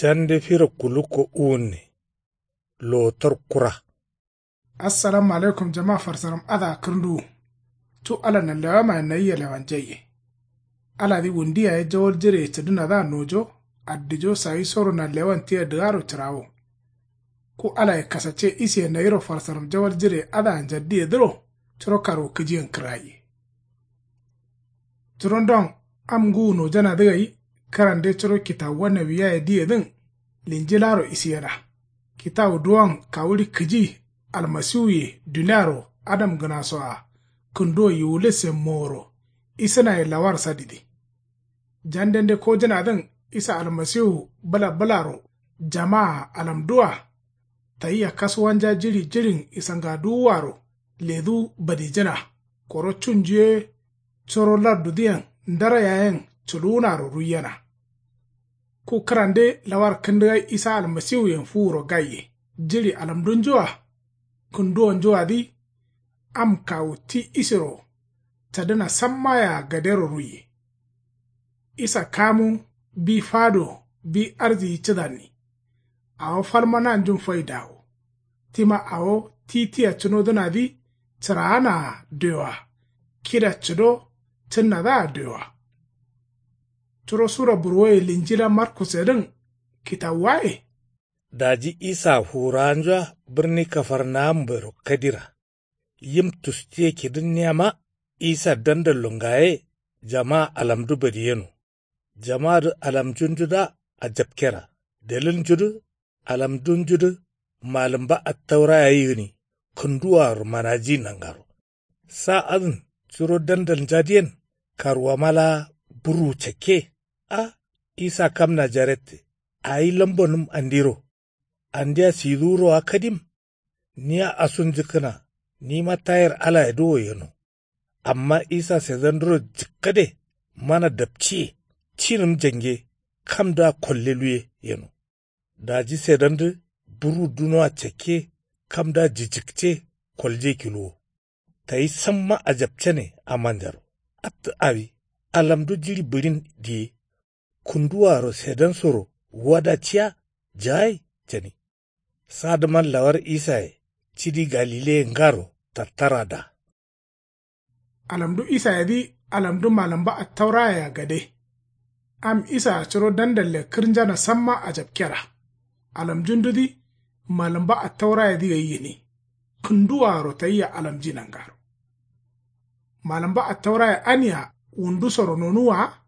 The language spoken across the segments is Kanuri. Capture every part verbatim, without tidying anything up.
Jande firo kulukko uwunne. Lowotor kura. Assalamu alaikum jama farsaram adǝa kǝrnduwu. Cu ala nanlewamayen nayia lewanjaiye. Aladǝ wundu yaye jawal jireye cǝdǝnadǝa nojo. Addijo sayisoro nanlewan tia dǝgaro cǝrawo. Ku alaye kasacce isiye nayiro farsaram jawal jireye adǝa njaddiyedǝro. Curo karwukǝjiyen kǝrayiye. Curondon am ngǝwu nojanadǝ gai. Kǝrande curo kitawuwa nawiyaye diyedǝn linjilaro isiyena. Kitawu duwon kawuɍi kǝji almasiwuye duniaro adamgǝnasoa kǝnduwo yiwulissen moworo isǝnaye lawar sadidǝ. Jandende kojǝnadǝn isa almasiwu bǝla bǝlaro jamaa alamdua. Tayia kasuwanja jiɍi jiɍin isangaduwuaro ledu badijǝna. Koro cunju ye curo lardudǝyen ndara yayen culuwunaro ruiyena. Ku kǝrande lawar kǝndǝgai isa almasiwuyen fuwuro gaiye jiɍi alamdunjua. Kǝnduwonjuadǝ am kawu ti isiro cadǝna sammayea gadero ruiye. Isa kamu bi fado bi arziyi cǝdanni. Awo falma nanjun faidawo. Tima awo ti tia cǝnodǝnadǝ cǝraanaa dioa. Kida cǝdo cǝnnadǝa dioa. Curo sura burwoye linjila markusedǝn kitawuwaye. Daji isaa fuwurawanjua bǝrni kafarnawambero kadira. Yim tustiye kidǝnniyama isa dandallo ngaye. Jamaa alamdu badiyeno. Jamaadǝ alamjundudǝa ajapkera. Dalilnjudǝ alamdunjudǝ malǝmba attaura yayi gǝni. Kǝnduwaaro manaji nangaro. Sa adǝn curo dandalnjadǝyen karwama laa burwu cakke. A isa kam najarette. Ayi lambonǝm andiro. Andia siduwurowa kadim. Niya asunjǝkkǝna. Nima tayir alayedǝ wo yeno. Amma isa sedanduro jǝkkade mana dapciye. Cinǝm jange kamdǝa kolle luye yeno. Daji sedandǝ burwu dunoa cakke. Kamdǝa jijikce kolje kiluwo. Tayi samma ajapcane amanjaro. Attǝ awi alamdu jiɍi bǝɍin diye. Kunduwaro sedansoro wada ciya jagai cani. Sadǝman lawar isaye cidi galileye ngaro tattarada. Alamdu isayedǝ alamdu malǝmba attaurayea gade. Am isaa curo dandalle kǝrnjana samma ajapkera. Alamjundudǝ malǝmba attaurayedǝ gai gǝni. Kǝnduwaaro tayia alamji nangaro. Malǝmba attauraye ania wundusoro nonuwwa wa.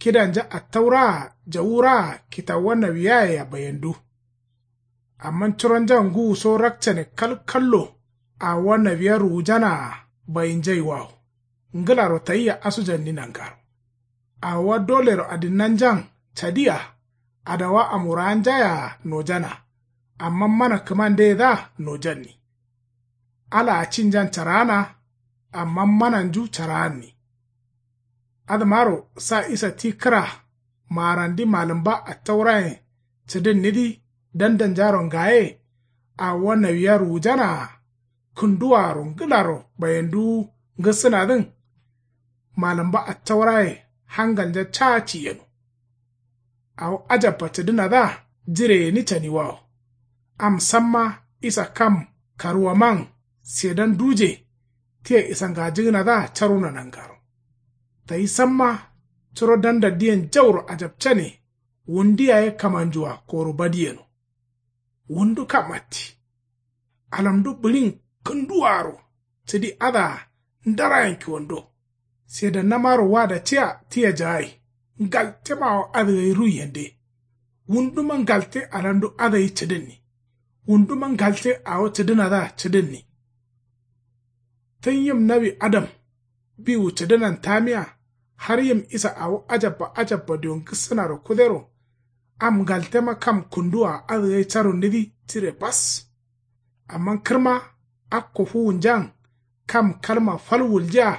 Kidanja attauraa jawuraa kitawuwa nawiyayea bayendu. Amma curonjan ngǝwuso rakcane kalkallo. Awowa nawiya ruwujanaa bayinjaiwawo. Ngǝlaro tayia asujanni nangaro. Awowa dolero adinnanjan cadia. Adawa amurawanjayaa nojana. Amma mana kǝmandeyedǝa nojanni. Alaa cinjan caraana. Amma mananju caraanni. Adǝmaro sa isa ti kǝra maarandi malǝmba attaurayen cǝdǝnnidǝ dandalnjaro ngaye. Awowa nawiya ruwujanaa. Kǝnduwaaro ngǝlaro bayenduwu ngǝssǝnadǝn. Malǝmba attauraye hangalnja caa ciyeno. Awo ajabba cǝdǝnadǝa jire gǝni caniwawo. Am samma isa kam karuwaman sedan duje. Tia isangajǝgǝnadǝa caruna nangaro. Tayi samma curo dandaldǝyen jauro ajapcane. Wundu yaye kamanjua koro badiyeno. Wundu kam atti. Alamdu bǝɍin kǝnduwaaro cǝdi adǝa ndarayen kiwando. Sedannamaro wada ciya tia jagai. Ngaltemawo adǝ gai ruiyende. Wunduma ngalte alamdu adǝ gai cǝdǝnni. Wunduma ngalte awo cǝdǝnadǝa cǝdǝnni. Tǝn yim nawi adam biwu cǝdǝnan tamiya. Har yim isa awo ajabba ajabba diyo ngǝssǝnaro kudero. Am ngaltema kam kunduwaa adǝ gai carunnidǝ tire bas. Amma kǝrma akko fuwunjan kam kalma fal wuljiya.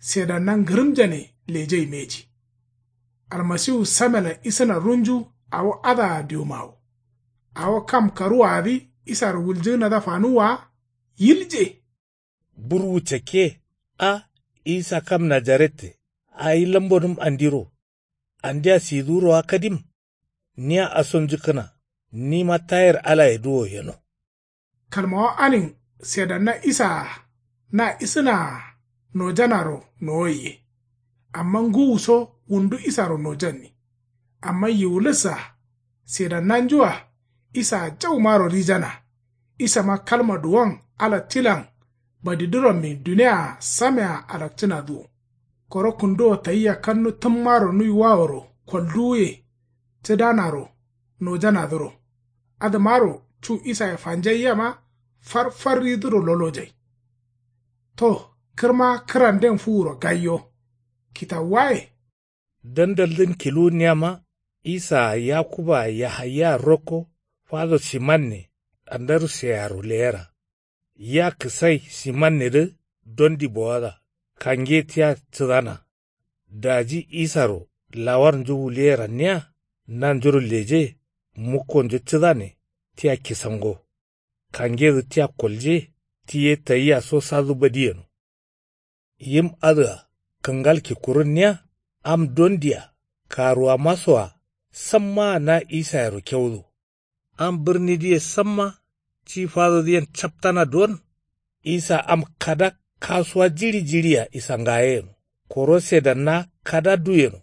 Sedanna ngǝrǝmjane lejai mbeji. Almasiwu samelan isǝna runju awo adǝa diwumawo. Awo kam karuwaadǝ isaro wuljǝgǝnadǝa fanuwwa wa. Yilje. Burwu cakke. A isa kam najarette. Ayi lambonǝm andiro. Andia siduwuro wa kadim. niya asonjǝkkǝna. Nima tayir alayedǝ wo yeno. Kalmawa anin sedanna isaa na isǝnaa nojanaro nowoiye. Amma ngǝwuso wundu isaro nojanni. Amma yiwulǝssa sedannanjua isaa jaumaro rijana. Isama kalma duwon ala tilan badidǝrommin duniyaa samea alakcǝnadǝ wo. Koro kǝnduwo tayia kannu tǝmmaro nuiwaworo kolduwuye cǝdanaro nojanadǝro. Adǝmaro cu isaye fanjaiyema farfarridǝro lolojai. To kǝrma kǝranden fuwuro gaiyo. Kitawuwaye dandaldǝn kiluwunniyama. Isaa yakuba yahaya rokko fado simanne andarusearo leyera. Ya kǝsai simannedǝ dondi bowada kange tia cǝdana. Daji isaro lawarnju wuliyeranniya nanjuro leje. Mukkonju cǝdane tia kisango. Kangedǝ tia kolje ti ye tayia so sadu badi yeno. Yim adǝa kǝngal kikkurunniya am dondia karuwamasoa sammaa na isayero keudo. Am bǝrnidǝye samma ti fadodǝyen captana duwon. Isa am kada kasuwa jiɍi jiɍia isangaye yeno. Koro sedanna kada du yeno.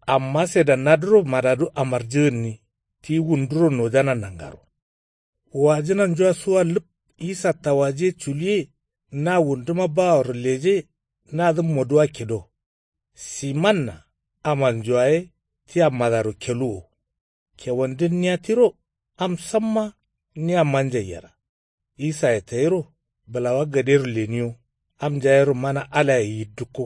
Amma sedannadǝro madadu amarjǝgǝnni ti wunduro nojana nangaro. Wajǝnanjua suwa lǝp isa tawajiye culiye na wunduma baworo leje. Nadǝ moduwa kido. Simanna amanjua ye tia madaro keluwo. Kewandǝnniya tiro am samma niya manjaiyera. Isaye tayiro bǝlawa gadero leniyo. Am njayero mana alaye yiddǝkko.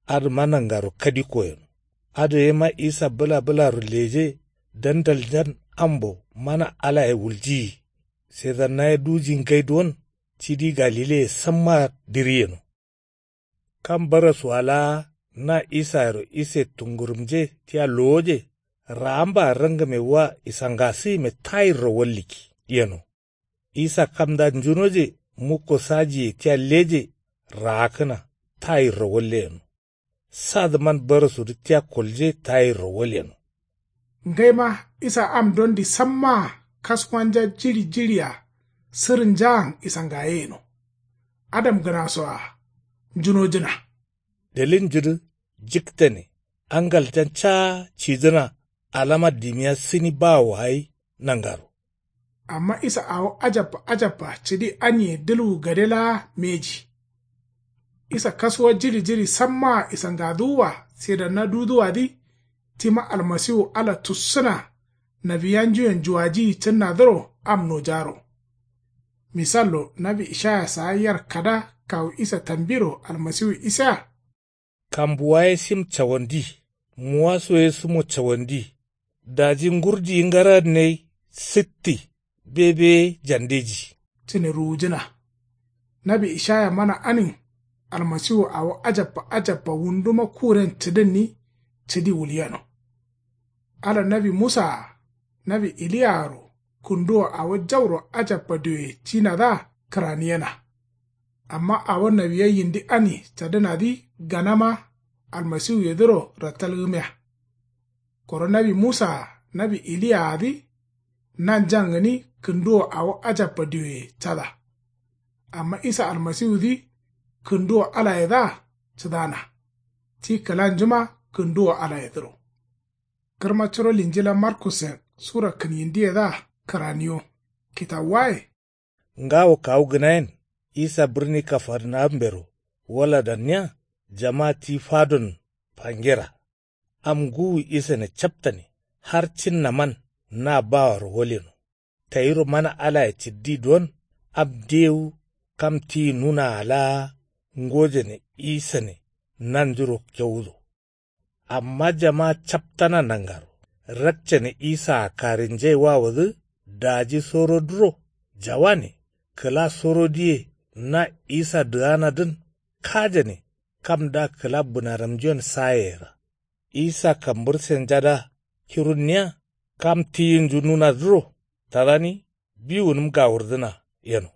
Adǝma nangaro kadikko yeno. Adǝ yema isa bǝla bǝlaro leje. Dandaljan ambo mana alaye wuljiyi. Sedannaye duji ngai duwon cidi galileye sammaa diri yeno. Kam barasuwa laa na isayero ise tungurumje tia lowoje. Raambaa rangǝme wa isangasǝgǝme tayirro walliki yeno. Isa kamda njunoje mukko sajiye tia leje. Raakkǝna tayirro walle yeno. Sadǝman barasudǝ tia kolje tayirro walyeno. Ngaima isa am dondi sammaa kaskuwanja jiɍi jiɍia sǝrǝnjaan isangaye yeno. Adamgǝnasoa njunojǝna. Dalilnjudǝ jiktane angaljan caa cidǝna alama dimiya sǝni bawoa gai nangaro. Amma isa awo ajabba ajabba cǝdi aniye dǝlwu gade laa mbeji. Isa kasuwa jiɍi jiɍi sammaa isangaduwua sedanna duduwadǝ. Tima almasiwu ala tussǝna nawiyanjuyen juwajiyi cǝnnadǝro am nojaro. Misallo nawi ishaya saa yar kada kawu isa tambiro almasiwu isea. Kambuwa ye sim cawandi. Muwaso ye sǝmo cawandi. Daji ngurdiyi ngaranne ye sǝtti bebe ye jandeji. Cǝne ruwujǝna. Nawi ishaya mana anin almasiwu awo ajabba ajabba wunduma kuren cǝdǝnni cǝdi wulyeno. Ala nawi musaa nawi iliyaaro kǝnduwo awo jauro ajabba dioye cinadǝa kǝraniyena. Amma awo nawiya yindi ani cadǝnadǝ ganama almasiwuyedǝro rattalgǝmiya. Koro nawi musaa nawi iliyaadǝ nanjan gǝni kǝnduwo awo ajabba dioye cada. Amma isa almasiwudǝ kǝnduwo alayedǝa cǝdana. Ti kǝlanjuma kǝnduwo alayedǝro. Kǝrma curo linjila markusen sura kǝnyindiyedǝa kǝraniyo. Kitawuwaye. Ngawo kawu gǝnayen isa bǝrni kafarnawumbero waladanniya. Jama ti fadon fangera. Am ngǝwu isane captane har cinnaman na bawaro waleno. Tayiro mana alaye cǝddi duwon am dewu kam tiyi nunaa laa ngojane isane nanjuro kewudo. Amma jama captana nangaro rakcane isaa karinjaiwawodǝ daji sorodǝro jawane kǝla sorodǝye na isa dǝganadǝn kajane kamda kǝla bǝnaramnjuyen sayeyera. Isa kambǝrsenjada kirunniya kam tiyinju nunadǝro tadani biwunǝm gawurdǝna yeno.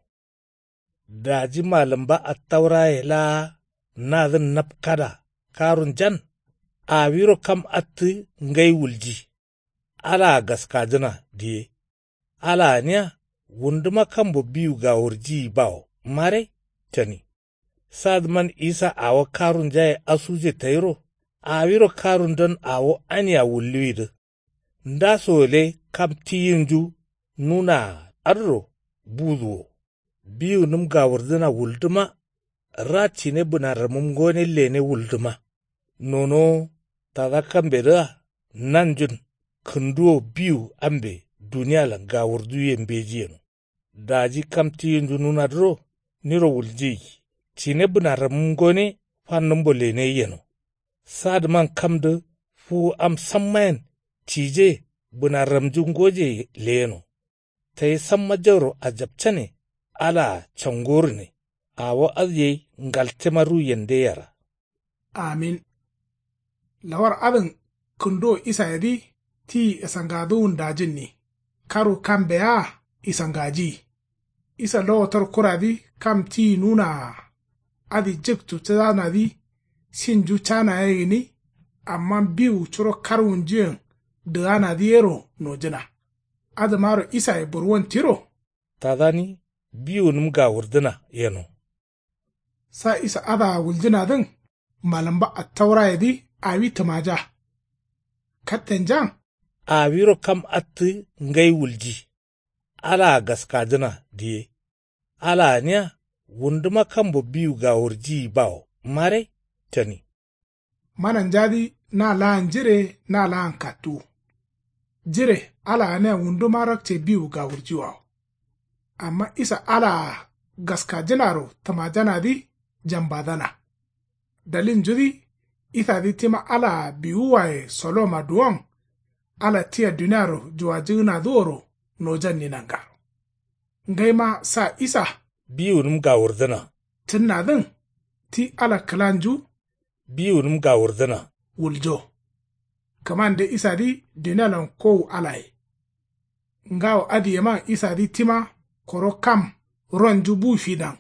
Daji malǝmba attauraye laa nadǝn napkada karunjan awiro kam attǝ ngai wulji. Alaa gaskajǝna diye. Alaa niya wunduma kambo biwu gawurjiyi bawo mare cani. Sadǝman isa awo karunjaye asuje tayiro awiro karundon awo ania wulluwidǝ. Ndaso gǝle kam tiyinju nunaa adǝro buduwo. Biwunǝm gawurdǝna wuldǝma ra cine bǝnarramǝm ngone lene wuldǝma. Nonowo tada kambedǝa nanjun kǝnduwo biwu ambe dunialan gawurduye mbeji yeno. Daji kam tiyinju nunadǝro niro wuljiyi cine bǝnarramǝm ngone fannǝmbo lene yeno. Sadǝman kamdǝ fuwu am sammayen cije bǝnarramju ngoje leyeno. Tayi samma jauro ajapcane alaa cangorune. Awo adǝ yai ngaltema ruyen de yera. Amin. Lawar adǝn kǝnduwo isayedǝ tiyi isangaduwun dajǝnni. Karu kambe yea isangajiyi. Isa lowotor kuradǝ kam tiyi nunaa adǝ jǝktu cǝdanadǝ sinju cana ye gǝni. Amma biwu curo karwunjuyen dǝganadǝ yero nojǝna. Adǝmaro isaye burwon tiro. Tadani biwunǝm gawurdǝna yeno. Sa isa adǝa wuljǝnadǝn malǝmba attaurayedǝ awi tǝmaja. Kattenjan awiro kam attǝ ngai wulji. Alaa gaskajǝna diye. Alaa niya wunduma kambo biwu gawurjiyi bawo mare cani. Mananjadǝ na laan jire na laan kattuwu. Jire alaa gǝnia wunduma rakce biwu gawurjiwawo. Amma isa alaa gaskajǝnaro tǝmajanadǝ jambadana. Dalilnjudǝ isadǝ tima alaa biwuwaye soloma duwon. Ala tia duniaro juwajǝgǝnadǝ woro nojanni nangaro. Ngaima sa isa biwunǝm gawurdǝna cǝnnadǝn ti ala kǝlanju biwunǝm gawurdǝna wuljo. Kǝmande isadǝ dunialan kowu alaye. Ngawo adǝyeman isadǝ tima koro kam ronju bu fidan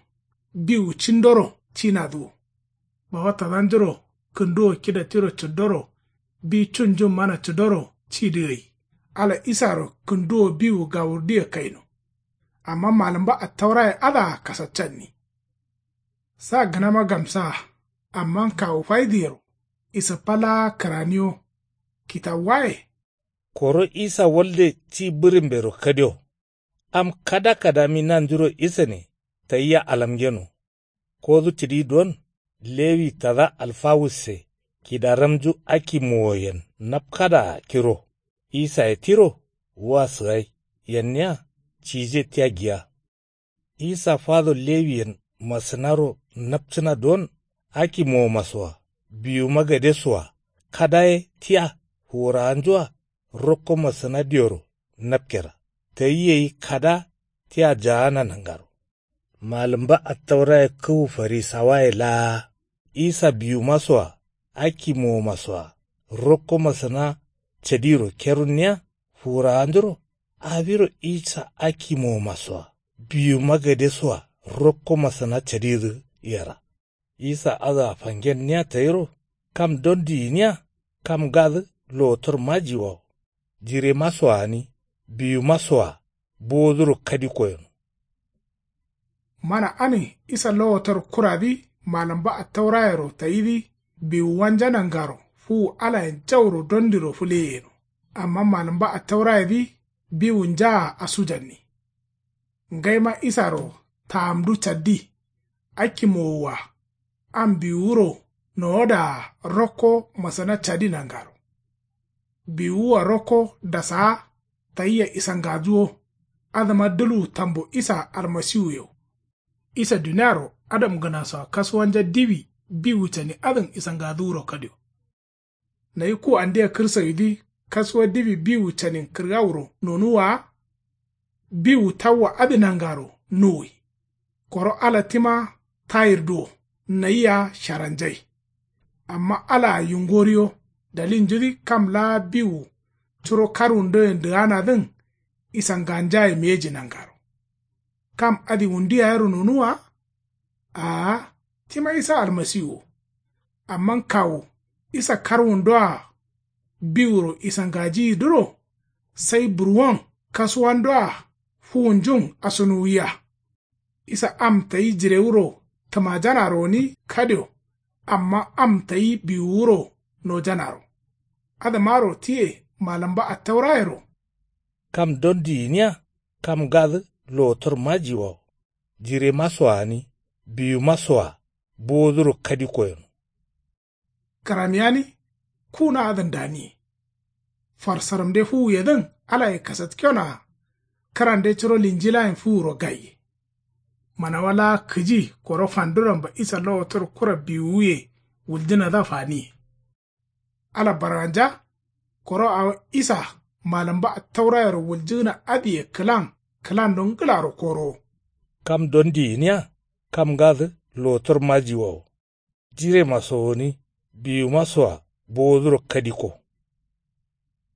biwu cindoro cinadǝ wo. Bawa tadanjuro kǝnduwo kida tiro cǝddoro bi cunjun mana cǝddoro cidǝ gai. Ala isaro kǝnduwo biwu gawurdǝye kaino. Amma malǝmba attauraye adǝa kasaccanni. Sa gǝnama gamsaa. Amma kawu faidǝyero isǝppa laa kǝraniyo. Kitawuwaye koro isa walde ti bǝrǝmbero kadio. Am kada kadami nanjuro isane tayia alamgeno. Kodu cǝdi don lewi tada alfawusse kidaramju akimowoyen napkadaa kiro. Isaye tiro wa sǝgai yenniya cije tia giya. Isa fado lewiyen masǝnaro napcǝna don akimowomasoa biwuma gadesoa kada ye tia fuwurawanjua rokko masǝna dioro napkera. Tayi gai kada tia jaana nangaro. Malǝmba attauraye kǝwu farisawaye laa isa biwumasoa akimowomasoa rokko masǝna cadiro kerunniya fuwurawanjuro awiro isa akimowomasoa biwuma gadesoa rokko masǝna cadidǝ yera. Isa adǝa fangenniya tayiro kam don diyiniya kam gadǝ lowotor majiwawo. Jiremasoa gǝni biwumasoa bowoduro kadi koyeno. Mana adǝn isa lowotor kuradǝ malǝmba attaurayero tayidǝ biwuwanja nangaro fuwu alayen jauro dondiro fǝleyeno. Amma malǝmba attaurayedǝ biwunjaa asujanni. Ngaima isaro taamdu caddi. Akkimowoa am biwuwuro nowodaa rokko masǝna cadi nangaro. Biwuwua rokko dasaa tayia isangaduwo. Adǝma dǝluwu tambo isa almasiwuyo. Isa duniaro adamgǝnasoa kasuwanja diwi biwu cani adǝn isangaduwuro kadio. Nayi ku andia kǝrsawidǝ kasuwa diwi biwu canin kǝrgawuro nonuwwa wa. Biwu tawwa adǝ nangaro nuwwi. Koro ala tima tayirdǝ wo nayia sharanjai. Amma alaa yingoriyo dalilnjudǝ kam laa biwu curo karwundoyen dǝganadǝn isanganjaye mbeji nangaro. Kam adǝ wundu yayero nonuwwa wa. Aa tima isa almasiwu wo. Amma kawu isa karwundoa biwuro isangajiyidǝro Sai burwon kasuwandoa fuwunjun asunuwiya. Isa am tayi jirewuro tǝmajanaro gǝni kadio. Amma am tayi biwuwuro nojanaro. Adǝmaro tiye malǝmba attaurayero. Kam dondi gǝniya kam ngadǝ lowotor majiwawo. Jiremasoa gǝni biwumasoa bowoduro kadikko yeno. Kǝraniyani kuna adǝn daniye. Farsaramde fuwuyedǝn alaye kasatkenoa. Kǝrande curo linjilayen fuwuro gaiye. Manawa laa kǝji koro fanduramba isa lowotor kura biwuye wuljǝnadǝa faniye. Ala barganja koro awo isa malǝmba attaurayero wuljǝgǝna adǝye kǝlan kǝlando ngǝlaro korowo. Kam dondi gǝniya kam ngadǝ lowotor majiwawo. Jiremaso gǝni biwumasoa bowoduro kadikko.